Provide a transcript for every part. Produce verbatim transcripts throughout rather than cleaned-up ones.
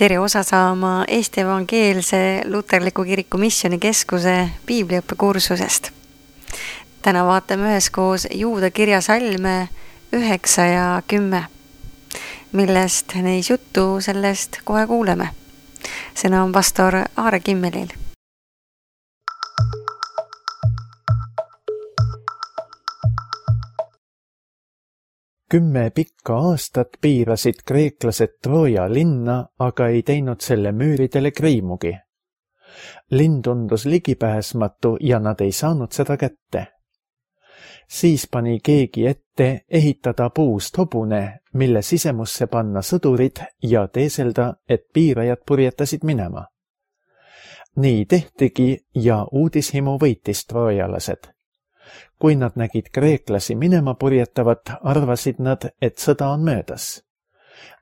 tere osa saama Eesti Evangeelse Luterliku Kiriku Missioonikeskuse piibliõppekursusest. Täna vaatame üheskoos Juuda kirja salme üheksa ja kümme, millest neis juttu sellest kohe kuuleme. Sõna on pastor Aare Kimmelil. Kümme pikka aastat piirasid kreeklased Trooja linna, aga ei teinud selle müüridele kriimugi. Linn tundus ligipääsmatu ja nad ei saanud seda kätte. Siis pani keegi ette ehitada puust hobune, mille sisemusse panna sõdurid ja teeselda, et piirajad purjetasid minema. Nii tehtigi ja uudishimu võitis troojalased. Kui nad nägid kreeklasi minema purjetavat, arvasid nad, et sõda on möödas.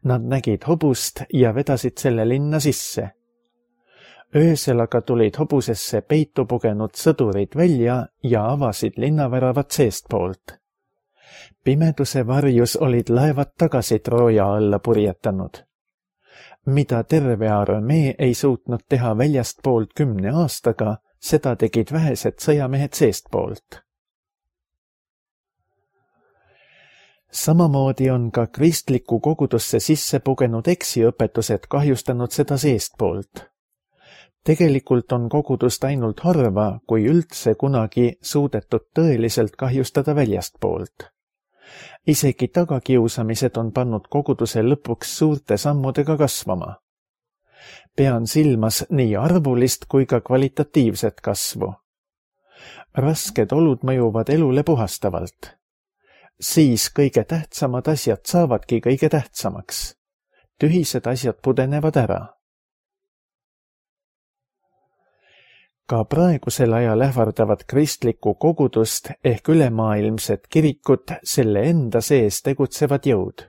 Nad nägid hobust ja vedasid selle linna sisse. Öösel aga tulid hobusesse peitu pugenud sõdurid välja ja avasid linnaväravad seestpoolt. Pimeduse varjus olid laevad tagasi Trooja alla purjetanud. Mida terve armee ei suutnud teha väljastpoolt kümne aastaga, seda tegid vähesed sõjamehed seestpoolt. Samamoodi on ka kristliku kogudusse sisse pugenud eksiõpetused kahjustanud seda seestpoolt. Tegelikult on kogudust ainult harva, kui üldse kunagi suudetud tõeliselt kahjustada väljastpoolt. Isegi tagakiusamised on pannud koguduse lõpuks suurte sammudega kasvama. Pean silmas nii arvulist kui ka kvalitatiivset kasvu. Rasked olud mõjuvad elule puhastavalt. Siis kõige tähtsamad asjad saavadki kõige tähtsamaks. Tühised asjad pudenevad ära. Ka praegusel ajal ähvardavad kristlikku kogudust ehk ülemaailmset kirikut selle enda sees tegutsevad jõud.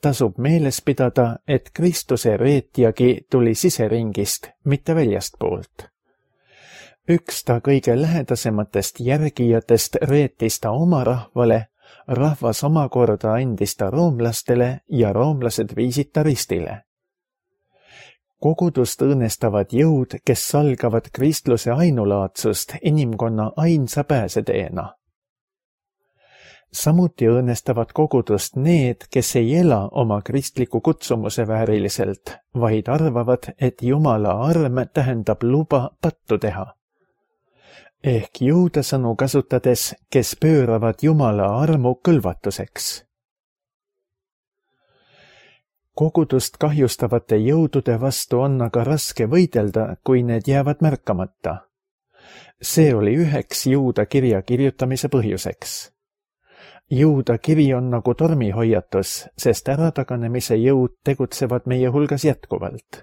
Tasub meeles pidada, et Kristuse reetjagi tuli siseringist, mitte väljastpoolt. Üks ta kõige lähedasematest järgijatest reetis ta oma rahvale, rahvas omakorda andis ta roomlastele ja roomlased viisid ta ristile. Kogudust õõnestavad jõud, kes salgavad kristluse ainulaadsust inimkonna ainsa pääseteena. Samuti õõnestavad kogudust need, kes ei ela oma kristliku kutsumuse vääriliselt, vaid arvavad, et Jumala arm tähendab luba pattu teha. Ehk juuda sõnu kasutades, kes pööravad Jumala armu kõlvatuseks. Kogudust kahjustavate jõudude vastu on aga raske võidelda, kui need jäävad märkamata. See oli üheks Juuda kirja kirjutamise põhjuseks. Juuda kiri on nagu tormihoiatus, sest ärataganemise jõud tegutsevad meie hulgas jätkuvalt.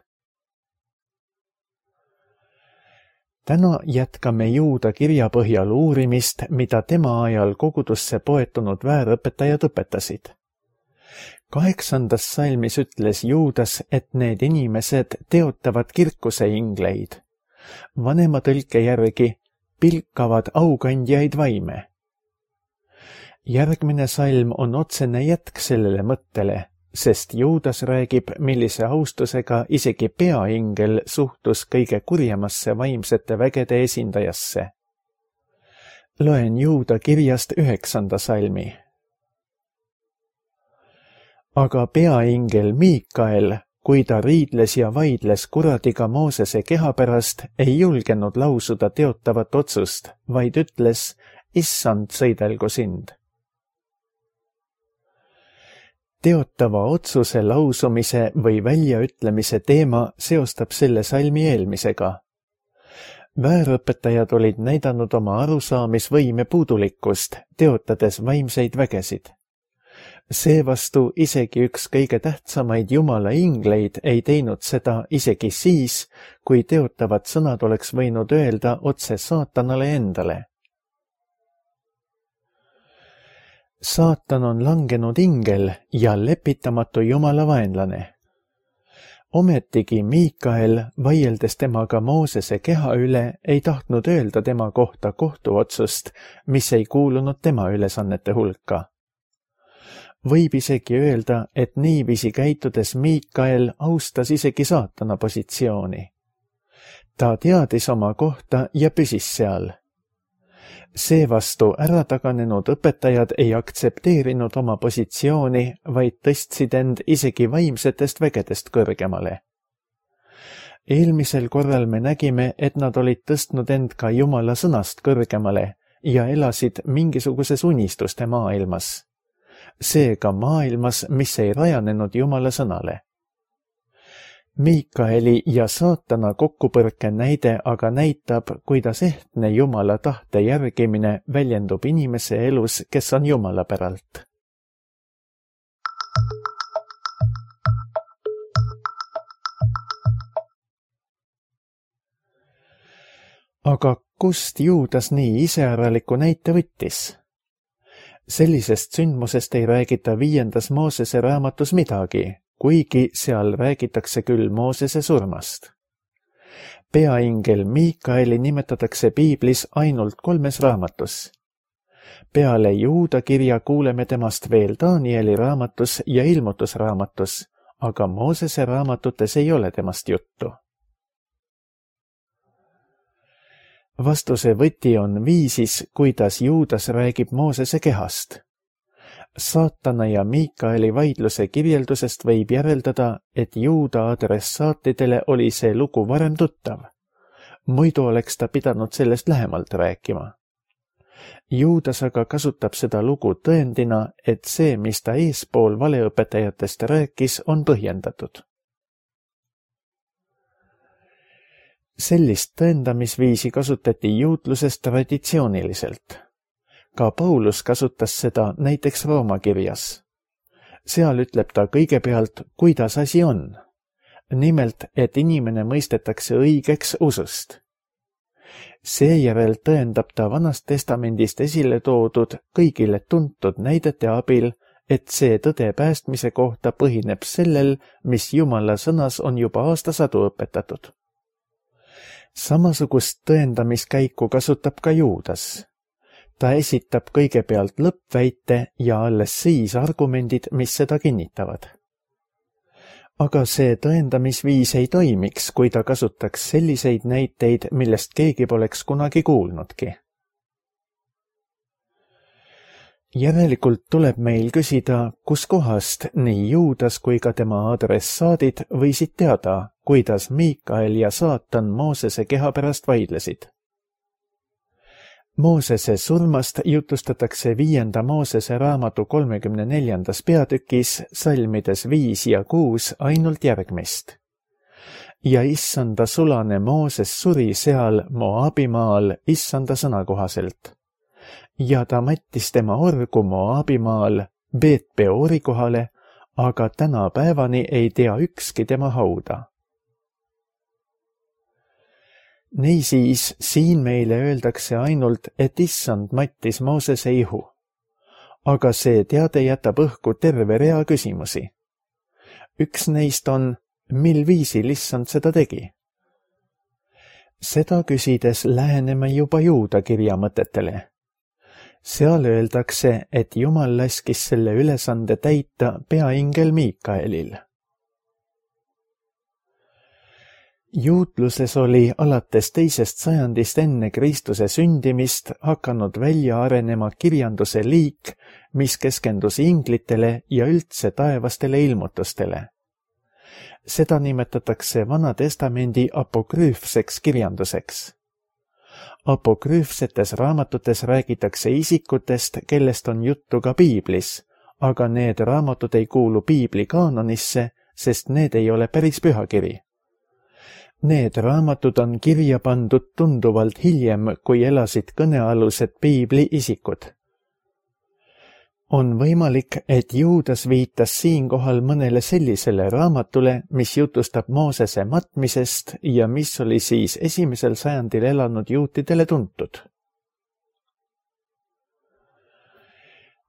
Täna jätkame Juuda kirja põhjal uurimist, mida tema ajal kogudusse poetunud väärõpetajad õpetasid. Kaheksandas salmis ütles Juudas, et need inimesed teotavad kirkuse ingleid. Vanema tõlke järgi pilkavad aukandjaid vaime. Järgmine salm on otsene jätk sellele mõttele, sest Juudas räägib, millise austusega isegi peaingel suhtus kõige kurjemasse vaimsete vägede esindajasse. Loen Juuda kirjast üheksanda salmi. Aga peaingel Miikael, kui ta riidles ja vaidles kuradiga Moosese keha pärast, ei julgenud lausuda teotavat otsust, vaid ütles, issand, sõidelgu sind. Teotava otsuse lausumise või väljaütlemise teema seostab selle salmi eelmisega. Väärõpetajad olid näidanud oma arusaamisvõime puudulikkust, teotades vaimseid vägesid. Seevastu isegi üks kõige tähtsamaid Jumala ingleid ei teinud seda isegi siis, kui teotavad sõnad oleks võinud öelda otse saatanale endale. Saatan on langenud ingel ja lepitamatu Jumala vaenlane. Ometigi Miikael, vaieldes temaga Moosese keha üle, ei tahtnud öelda tema kohta kohtuotsust, mis ei kuulunud tema ülesannete hulka. Võib isegi öelda, et niiviisi käitudes Miikael austas isegi saatana positsiooni. Ta teadis oma kohta ja püsis seal. Seevastu ärataganenud õpetajad ei aktsepteerinud oma positsiooni, vaid tõstsid end isegi vaimsetest vägedest kõrgemale. Eelmisel korral me nägime, et nad olid tõstnud end ka Jumala sõnast kõrgemale ja elasid mingisuguses unistuste maailmas. Seega maailmas, mis ei rajanenud Jumala sõnale. Miikaeli ja saatana kokkupõrke näide aga näitab, kuidas ehtne Jumala tahte järgimine väljendub inimese elus, kes on Jumala päralt. Aga kust Juudas nii iseäraliku näite võttis? Sellisest sündmusest ei räägita viiendas Moosese raamatus midagi, kuigi seal räägitakse küll Moosese surmast. Peaingel Miikaeli nimetatakse piiblis ainult kolmes raamatus. Peale Juuda kirja kuuleme temast veel Danieli raamatus ja ilmutusraamatus, aga Moosese raamatutes ei ole temast juttu. Vastuse võti on viisis, kuidas Juudas räägib Moosese kehast. Saatana ja Miikaeli vaidluse kirjeldusest võib järeldada, et Juuda adressaatidele oli see lugu varem tuttav. Muidu oleks ta pidanud sellest lähemalt rääkima. Juudas aga kasutab seda lugu tõendina, et see, mis ta eespool valeõpetajatest rääkis, on põhjendatud. Sellist tõendamisviisi kasutati juutluses traditsiooniliselt. Ka Paulus kasutas seda näiteks Rooma kirjas. Seal ütleb ta kõigepealt, kuidas asi on. Nimelt, et inimene mõistetakse õigeks usust. Seejärel tõendab ta Vanast Testamendist esile toodud kõigile tuntud näidete abil, et see tõde päästmise kohta põhineb sellel, mis Jumala sõnas on juba aastasadu õpetatud. Samasugust tõendamiskäiku kasutab ka Juudas. Ta esitab kõigepealt lõppväite ja alles siis argumendid, mis seda kinnitavad. Aga see tõendamisviis ei toimiks, kui ta kasutaks selliseid näiteid, millest keegi poleks kunagi kuulnudki. Järelikult tuleb meil küsida, kus kohast nii Juudas kui ka tema adressaadid võisid teada, kuidas Miikael ja saatan Moosese keha pärast vaidlesid. Moosese surmast jutustatakse viienda Moosese raamatu kolmekümne neljandas peatükis salmides viis ja kuus ainult järgmist. Ja issanda sulane Mooses suri seal Moabimaal issanda sõna kohaselt. Ja ta mattis tema orgu Moabimaal Beet-Peori kohale, aga tänapäevani ei tea ükski tema hauda. Niisiis, siin meile öeldakse ainult, et issand mattis Moosese ihu. Aga see teade jätab õhku terve rea küsimusi. Üks neist on, mil viisil issand seda tegi? Seda küsides läheneme juba Juuda kirja mõtetele. Seal öeldakse, et Jumal laskis selle ülesande täita peaingel Miikaelil. Juutluses oli alates teisest sajandist enne Kristuse sündimist hakanud välja arenema kirjanduse liik, mis keskendus inglitele ja üldse taevastele ilmutustele. Seda nimetatakse Vana Testamendi apokrüüfseks kirjanduseks. Apokrüüfsetes raamatutes räägitakse isikutest, kellest on juttu ka piiblis, aga need raamatud ei kuulu piibli kaanonisse, sest need ei ole päris pühakiri. Need raamatud on kirja pandud tunduvalt hiljem, kui elasid kõnealused piibli isikud. On võimalik, et Juudas viitas siinkohal mõnele sellisele raamatule, mis jutustab Moosese matmisest ja mis oli siis esimesel sajandil elanud juutidele tuntud.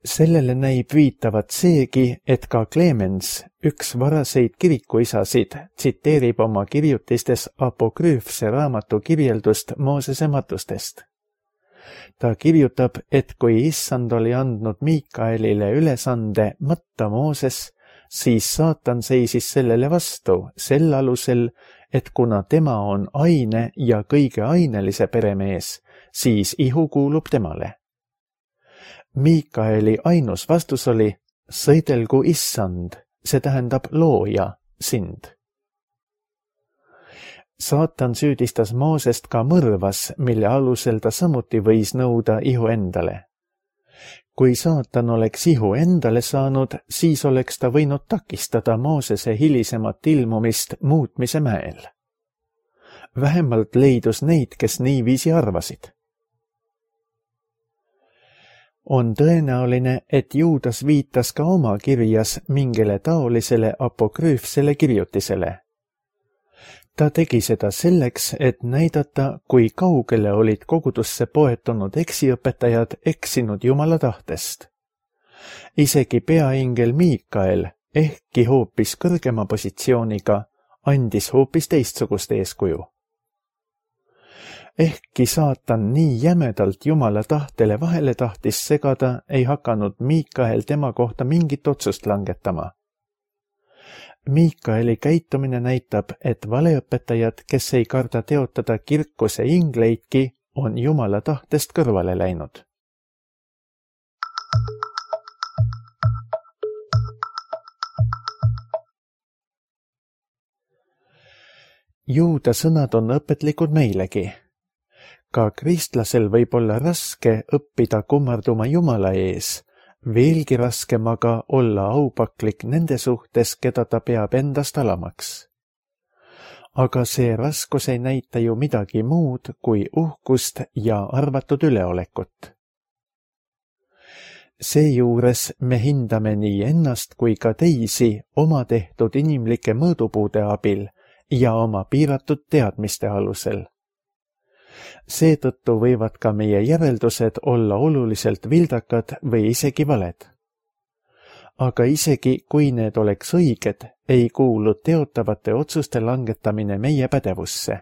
Sellele näib viitavat seegi, et ka Clemens, üks varaseid kirikuisasid, tsiteerib oma kirjutistes apokrüüfse raamatu kirjeldust Moosese matustest. Ta kirjutab, et kui issand oli andnud Miikaelile ülesande matta Mooses, siis saatan seisis sellele vastu sel alusel, et kuna tema on aine ja kõige ainelise peremees, siis ihu kuulub temale. Miikaeli ainus vastus oli, sõidelgu issand, see tähendab looja, sind. Saatan süüdistas Moosest ka mõrvas, mille alusel ta samuti võis nõuda ihu endale. Kui saatan oleks ihu endale saanud, siis oleks ta võinud takistada Moosese hilisemat ilmumist muutmise mäel. Vähemalt leidus neid, kes niiviisi arvasid. On tõenäoline, et Juudas viitas ka oma kirjas mingile taolisele apokrüüfsele kirjutisele. Ta tegi seda selleks, et näidata, kui kaugele olid kogudusse poetunud eksiõpetajad eksinud Jumala tahtest. Isegi peaingel Miikael, ehkki hoopis kõrgema positsiooniga, andis hoopis teistsugust eeskuju. Ehkki saatan nii jämedalt Jumala tahtele vahele tahtis segada, ei hakanud Miikael tema kohta mingit otsust langetama. Miikaeli käitumine näitab, et valeõpetajad, kes ei karda teotada kirkuse ingleidki, on Jumala tahtest kõrvale läinud. Juuda sõnad on õpetlikud meilegi. Ka kristlasel võib olla raske õppida kummarduma Jumala ees, veelgi raskem aga olla aupaklik nende suhtes, keda ta peab endast alamaks. Aga see raskus ei näita ju midagi muud kui uhkust ja arvatud üleolekut. Seejuures me hindame nii ennast kui ka teisi oma tehtud inimlike mõõdupuude abil ja oma piiratud teadmiste alusel. Seetõttu võivad ka meie järeldused olla oluliselt vildakad või isegi valed. Aga isegi kui need oleks õiged, ei kuulu teotavate otsuste langetamine meie pädevusse.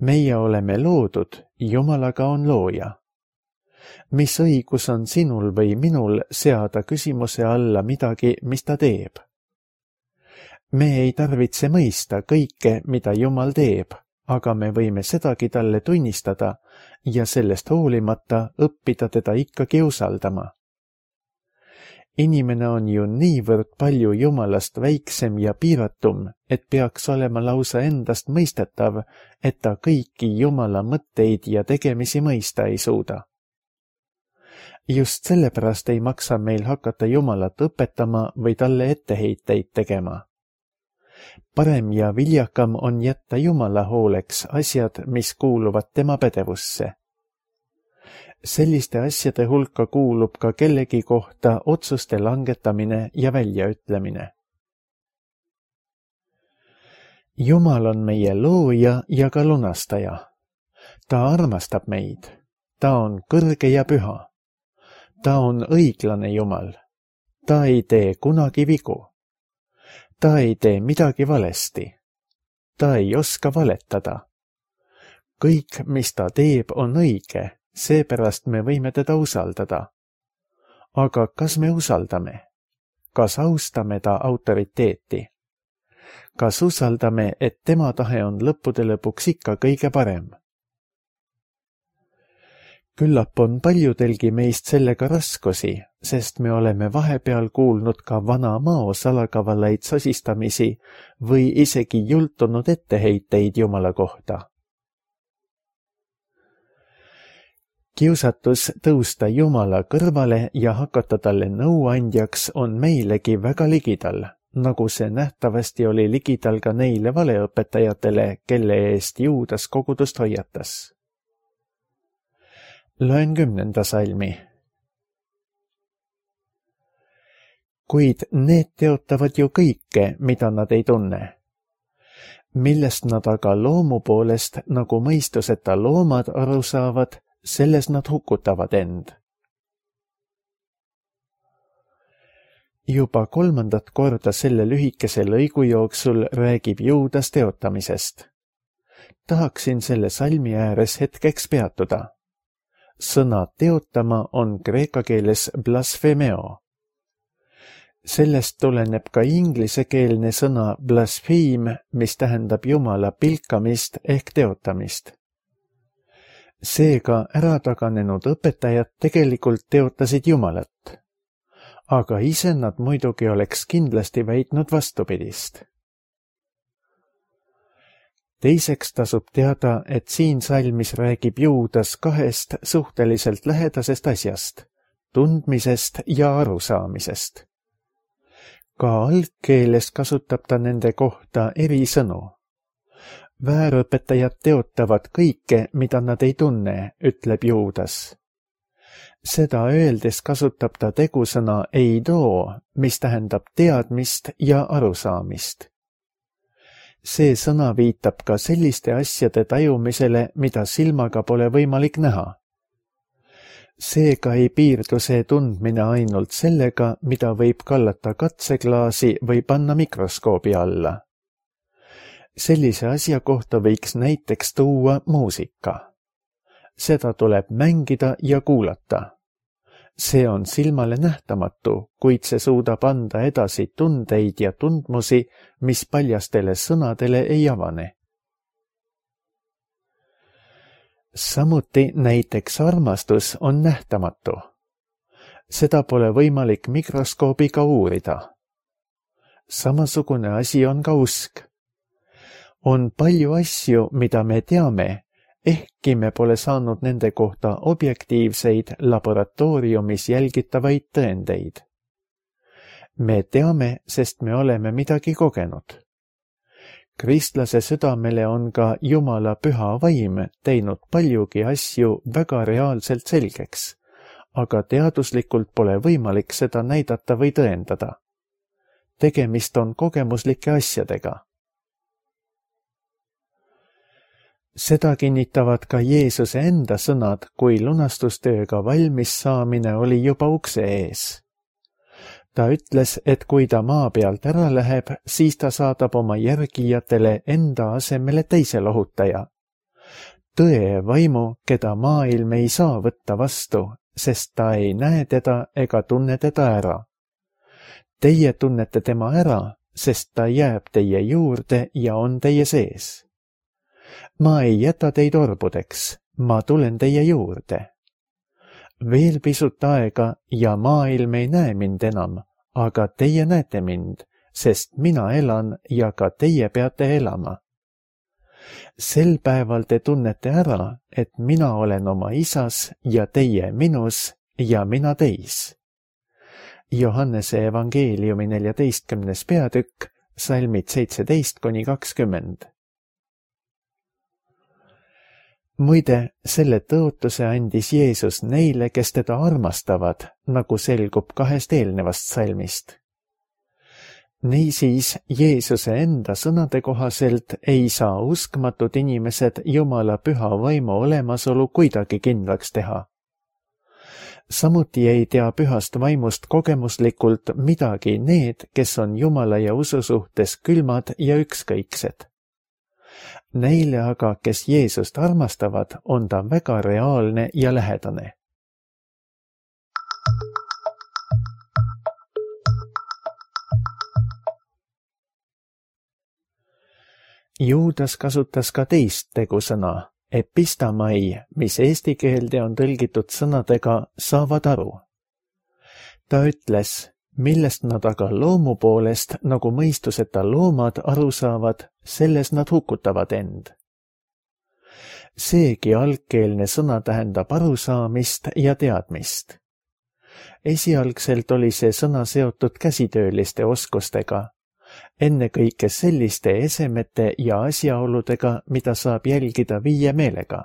Meie oleme loodud, Jumalaga on looja. Mis õigus on sinul või minul seada küsimuse alla midagi, mis ta teeb? Me ei tarvitse mõista kõike, mida Jumal teeb, aga me võime sedagi talle tunnistada ja sellest hoolimata õppida teda ikkagi usaldama. Inimene on ju niivõrd palju Jumalast väiksem ja piiratum, et peaks olema lausa endast mõistetav, et ta kõiki Jumala mõtteid ja tegemisi mõista ei suuda. Just sellepärast ei maksa meil hakata Jumalat õpetama või talle etteheiteid tegema. Parem ja viljakam on jätta Jumala hooleks asjad, mis kuuluvad tema pädevusse. Selliste asjade hulka kuulub ka kellegi kohta otsuste langetamine ja väljaütlemine. Jumal on meie looja ja ka lunastaja. Ta armastab meid. Ta on kõrge ja püha. Ta on õiglane Jumal. Ta ei tee kunagi vigu. Ta ei tee midagi valesti. Ta ei oska valetada. Kõik, mis ta teeb, on õige, seepärast me võime teda usaldada. Aga kas me usaldame? Kas austame ta autoriteeti? Kas usaldame, et tema tahe on lõppude lõpuks ikka kõige parem? Küllap on paljudelgi meist sellega raskusi, sest me oleme vahepeal kuulnud ka vana mao salakavalaid sosistamisi või isegi jultunud etteheiteid Jumala kohta. Kiusatus tõusta Jumala kõrvale ja hakata talle nõuandjaks on meilegi väga ligidal, nagu see nähtavasti oli ligidal ka neile valeõpetajatele, kelle eest Juudas kogudust hoiatas. Loen kümnenda salmi. Kuid need teotavad ju kõike, mida nad ei tunne. Millest nad aga loomu poolest, nagu mõistuseta loomad aru saavad, selles nad hukutavad end. Juba kolmandat korda selle lühikese lõigu jooksul räägib Juudas teotamisest. Tahaksin selle salmi ääres hetkeks peatuda. sõna teotama on kreeka keeles blasphemeo. Sellest tuleneb ka inglisekeelne sõna blaspheme, mis tähendab Jumala pilkamist ehk teotamist. Seega ärataganenud õpetajad tegelikult teotasid Jumalat, aga ise nad muidugi oleks kindlasti väitnud vastupidist. Teiseks tasub teada, et siin salmis räägib Juudas kahest suhteliselt lähedasest asjast, tundmisest ja arusaamisest. Ka algkeeles kasutab ta nende kohta eri sõnu. Väärõpetajad teotavad kõike, mida nad ei tunne, ütleb Juudas. Seda öeldes kasutab ta tegusõna eido, mis tähendab teadmist ja arusaamist. See sõna viitab ka selliste asjade tajumisele, mida silmaga pole võimalik näha. Seega ei piirdu see tundmine ainult sellega, mida võib kallata katseklaasi või panna mikroskoobi alla. Sellise asja kohta võiks näiteks tuua muusika. Seda tuleb mängida ja kuulata. See on silmale nähtamatu, kuid see suudab anda edasi tundeid ja tundmusi, mis paljastele sõnadele ei avane. Samuti näiteks armastus on nähtamatu. Seda pole võimalik mikroskoobiga uurida. Samasugune asi on ka usk. On palju asju, mida me teame, ehkki me pole saanud nende kohta objektiivseid laboratooriumis jälgitavaid tõendeid. Me teame, sest me oleme midagi kogenud. Kristlase südamele on ka Jumala püha vaim teinud paljugi asju väga reaalselt selgeks, aga teaduslikult pole võimalik seda näidata või tõendada. Tegemist on kogemuslike asjadega. Seda kinnitavad ka Jeesuse enda sõnad, kui lunastustööga valmis saamine oli juba ukse ees. Ta ütles, et kui ta maa pealt ära läheb, siis ta saadab oma järgijatele enda asemele teise lohutaja. Tõe vaimu, keda maailm ei saa võtta vastu, sest ta ei näe teda ega tunne teda ära. Teie tunnete tema ära, sest ta jääb teie juurde ja on teie sees. Ma ei jäta teid orbudeks, ma tulen teie juurde. Veel pisut aega ja maailm ei näe mind enam, aga teie näete mind, sest mina elan ja ka teie peate elama. Sel päeval te tunnete ära, et mina olen oma isas ja teie minus ja mina teis. Johannese evangeeliumi neljateistkümnes peatükk, salmid seitseteist kuni kakskümmend. Muide, selle tõotuse andis Jeesus neile, kes teda armastavad, nagu selgub kahest eelnevast salmist. Niisiis, Jeesuse enda sõnade kohaselt ei saa uskmatud inimesed Jumala püha vaimu olemasolu kuidagi kindlaks teha. Samuti ei tea pühast vaimust kogemuslikult midagi need, kes on Jumala ja usu suhtes külmad ja ükskõiksed. Neile aga, kes Jeesust armastavad, on ta väga reaalne ja lähedane. Juudas kasutas ka teist tegusõna, epistamai, mis eesti keelde on tõlgitud sõnadega saavad aru. Ta ütles, millest nad aga loomu poolest, nagu mõistuseta loomad aru saavad, selles nad hukutavad end. Seegi algkeelne sõna tähendab arusaamist ja teadmist. Esialgselt oli see sõna seotud käsitööliste oskustega, ennekõike selliste esemete ja asjaoludega, mida saab jälgida viie meelega.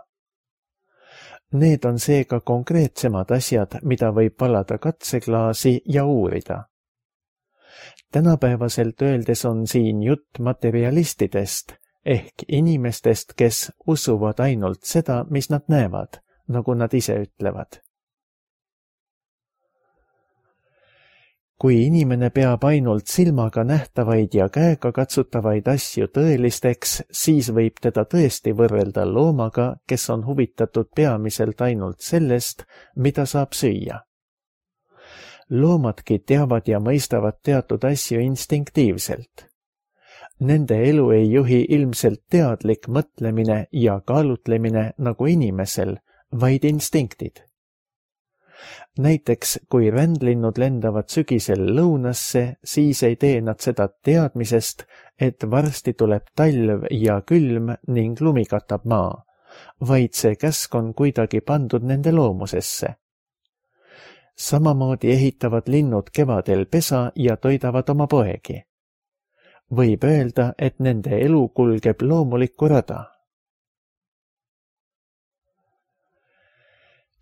Need on seega konkreetsemad asjad, mida võib valada katseklaasi ja uurida. Tänapäevaselt öeldes on siin jutt materialistidest, ehk inimestest, kes usuvad ainult seda, mis nad näevad, nagu nad ise ütlevad. kui inimene peab ainult silmaga nähtavaid ja käega katsutavaid asju tõelisteks, siis võib teda tõesti võrrelda loomaga, kes on huvitatud peamiselt ainult sellest, mida saab süüa. Loomadki teavad ja mõistavad teatud asju instinktiivselt. Nende elu ei juhi ilmselt teadlik mõtlemine ja kaalutlemine nagu inimesel, vaid instinktid. Näiteks, kui rändlinnud lendavad sügisel lõunasse, siis ei tee nad seda teadmisest, et varsti tuleb talv ja külm ning lumi katab maa, vaid see käsk on kuidagi pandud nende loomusesse. Samamoodi ehitavad linnud kevadel pesa ja toidavad oma poegi. Võib öelda, et nende elu kulgeb loomulikku rada.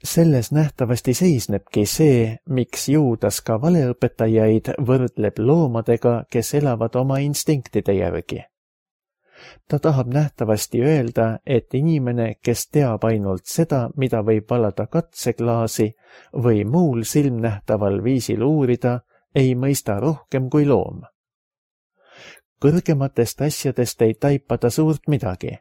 Selles nähtavasti seisnebki see, miks Juudas ka valeõpetajaid võrdleb loomadega, kes elavad oma instinktide järgi. Ta tahab nähtavasti öelda, et inimene, kes teab ainult seda, mida võib valada katseklaasi või muul silmnähtaval viisil uurida, ei mõista rohkem kui loom. Kõrgematest asjadest ei taipa ta suurt midagi.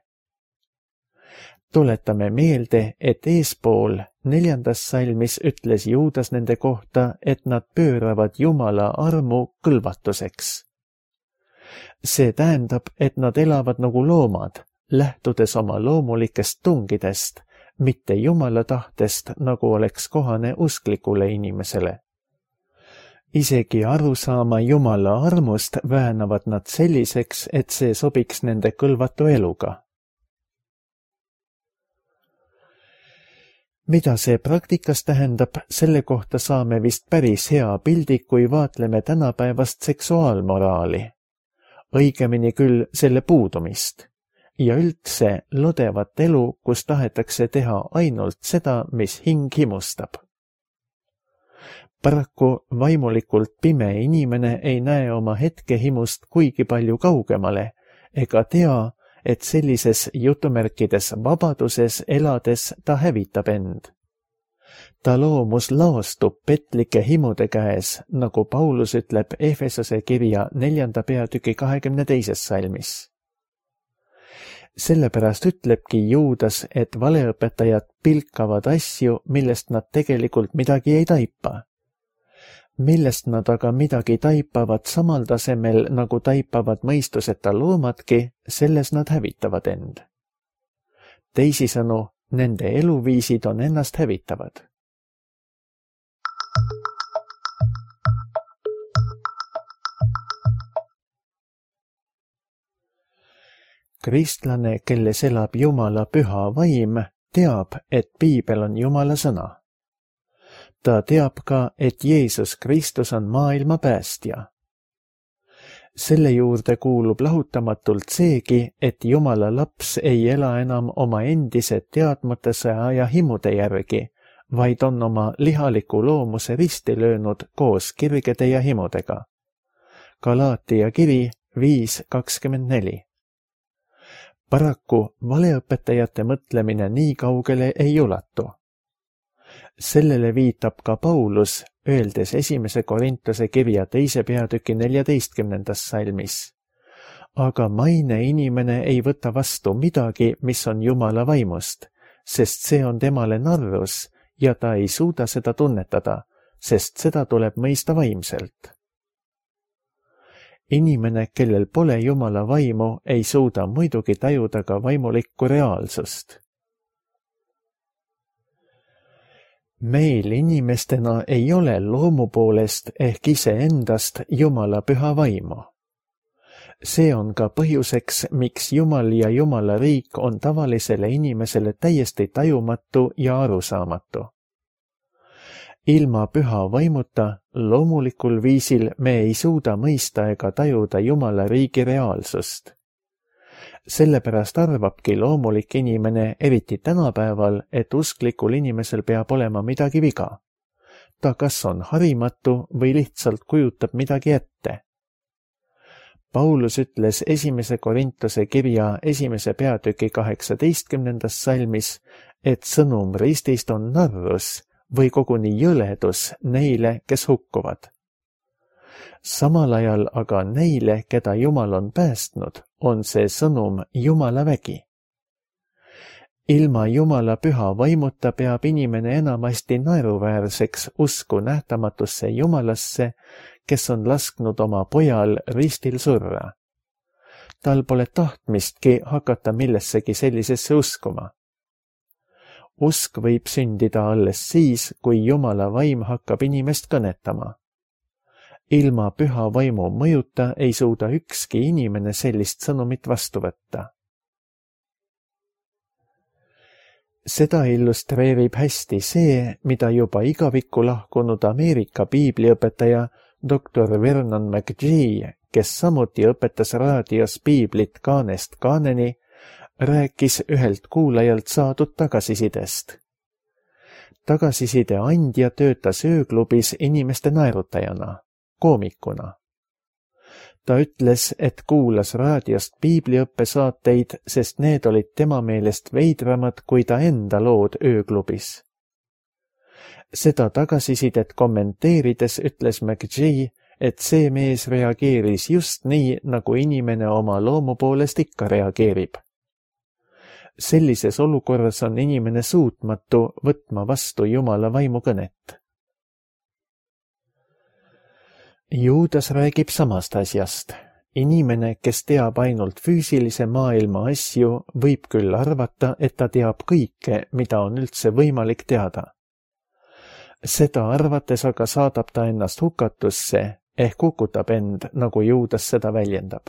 Tuletame meelde, et eespool neljandas salmis ütles Juudas nende kohta, et nad pööravad Jumala armu kõlvatuseks. See tähendab, et nad elavad nagu loomad, lähtudes oma loomulikest tungidest, mitte Jumala tahtest, nagu oleks kohane usklikule inimesele. Isegi aru saama Jumala armust väänavad nad selliseks, et see sobiks nende kõlvatu eluga. Mida see praktikas tähendab, selle kohta saame vist päris hea pildi, kui vaatleme tänapäevast seksuaalmoraali. Õigemini küll selle puudumist. Ja üldse lodevat elu, kus tahetakse teha ainult seda, mis hing himustab. Paraku vaimulikult pime inimene ei näe oma hetkehimust kuigi palju kaugemale ega tea, et sellises jutumärkides vabaduses elades ta hävitab end. Ta loomus laostub petlike himude käes, nagu Paulus ütleb Efesose kirja neljanda peatüki kahekümne teises salmis. Sellepärast ütlebki Juudas, et valeõpetajad pilkavad asju, millest nad tegelikult midagi ei taipa. Millest nad aga midagi taipavad samal tasemel, nagu taipavad mõistuseta loomadki, selles nad hävitavad end. Teisisõnu, nende eluviisid on ennast hävitavad. Kristlane, kelles elab Jumala püha vaim, teab, et Piibel on Jumala sõna. Ta teab ka, et Jeesus Kristus on maailma päästja. Selle juurde kuulub lahutamatult seegi, et Jumala laps ei ela enam oma endise teadmatuse ja himude järgi, vaid on oma lihaliku loomuse risti löönud koos kirgede ja himudega. Galaatia kiri viis kakskümmend neli. Paraku valeõpetajate mõtlemine nii kaugele ei ulatu. Sellele viitab ka Paulus, öeldes esimese Korintuse kirja teise peatüki neljateistkümnendas salmis. Aga maine inimene ei võta vastu midagi, mis on Jumala vaimust, sest see on temale narrus ja ta ei suuda seda tunnetada, sest seda tuleb mõista vaimselt. Inimene, kellel pole Jumala vaimu, ei suuda muidugi tajuda ka vaimulikku reaalsust. Meil inimestena ei ole loomu poolest ehk iseendast Jumala püha vaimu. See on ka põhjuseks, miks Jumal ja Jumala riik on tavalisele inimesele täiesti tajumatu ja arusaamatu. Ilma püha vaimuta, loomulikul viisil me ei suuda mõista ega tajuda Jumala riigi reaalsust. Sellepärast arvabki loomulik inimene, eriti tänapäeval, et usklikul inimesel peab olema midagi viga. Ta kas on harimatu või lihtsalt kujutab midagi ette. Paulus ütles esimese Korintuse kirja esimese peatüki kaheksateistkümnendas salmis, et sõnum ristist on narrus või koguni jõledus neile, kes hukkuvad. Samal ajal aga neile, keda Jumal on päästnud, on see sõnum Jumala vägi. Ilma Jumala püha vaimuta peab inimene enamasti naeruväärseks usku nähtamatusse Jumalasse, kes on lasknud oma pojal ristil surra. Tal pole tahtmistki hakata millessegi sellisesse uskuma. Usk võib sündida alles siis, kui Jumala vaim hakkab inimest kõnetama. Ilma püha vaimu mõjuta ei suuda ükski inimene sellist sõnumit vastu võtta. Seda illustreerib hästi see, mida juba igavikku lahkunud Ameerika piibliõpetaja doktor Vernon McGee, kes samuti õpetas raadios piiblit kaanest kaaneni, rääkis ühelt kuulajalt saadud tagasisidest. Tagasiside andja töötas ööklubis inimeste naerutajana, koomikuna. Ta ütles, et kuulas raadiost piibliõppesaateid, sest need olid tema meelest veidramad kui ta enda lood ööklubis. Seda tagasisidet kommenteerides ütles McGee, et see mees reageeris just nii, nagu inimene oma loomu poolest ikka reageerib. Sellises olukorras on inimene suutmatu võtma vastu Jumala vaimukõnet. Juudas räägib samast asjast. Inimene, kes teab ainult füüsilise maailma asju, võib küll arvata, et ta teab kõike, mida on üldse võimalik teada. Seda arvates aga saadab ta ennast hukatusse, ehk kukutab end, nagu Juudas seda väljendab.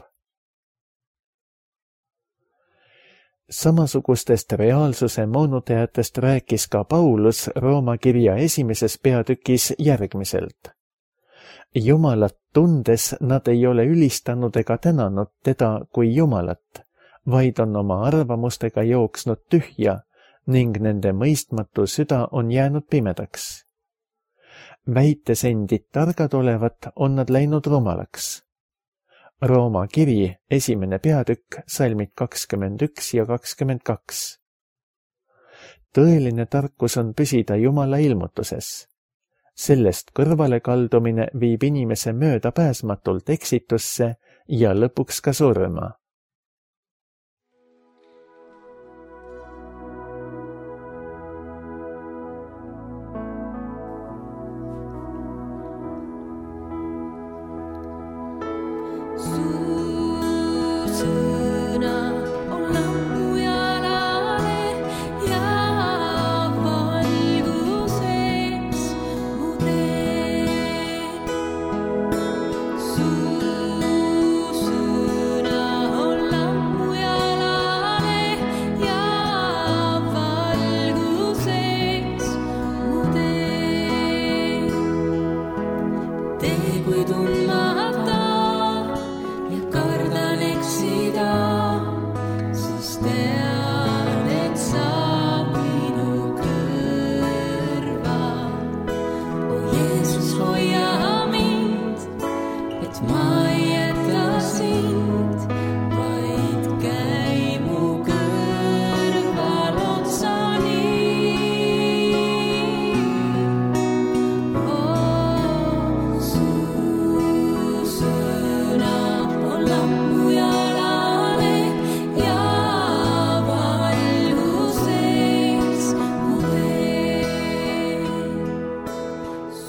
Samasugustest reaalsuse moonutajatest rääkis ka Paulus Rooma kirja esimeses peatükis järgmiselt. Jumalat tundes nad ei ole ülistanud ega tänanud teda kui Jumalat, vaid on oma arvamustega jooksnud tühja ning nende mõistmatu süda on jäänud pimedaks. Väites endid targad olevat, on nad läinud rumalaks. Rooma kiri, esimene peatükk, salmid kakskümmend üks ja kakskümmend kaks. Tõeline tarkus on püsida Jumala ilmutuses. Sellest kõrvale kaldumine viib inimese mööda pääsmatult eksitusse ja lõpuks ka surma.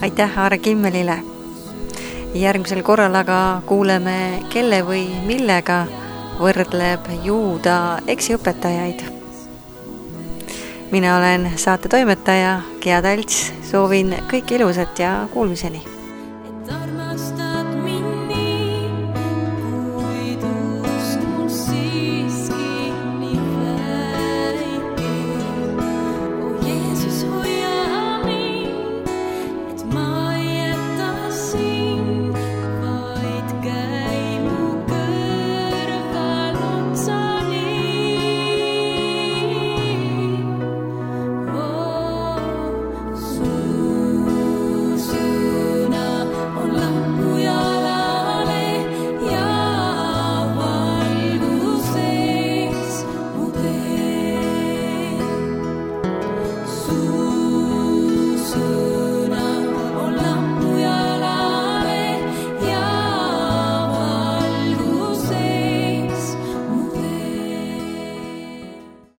Aitäh Aare Kimmelile. Järgmisel korral aga kuuleme, kelle või millega võrdleb Juuda eksiõpetajaid. Mina olen saate toimetaja Gea Talts, soovin kõik ilusat ja kuulmiseni.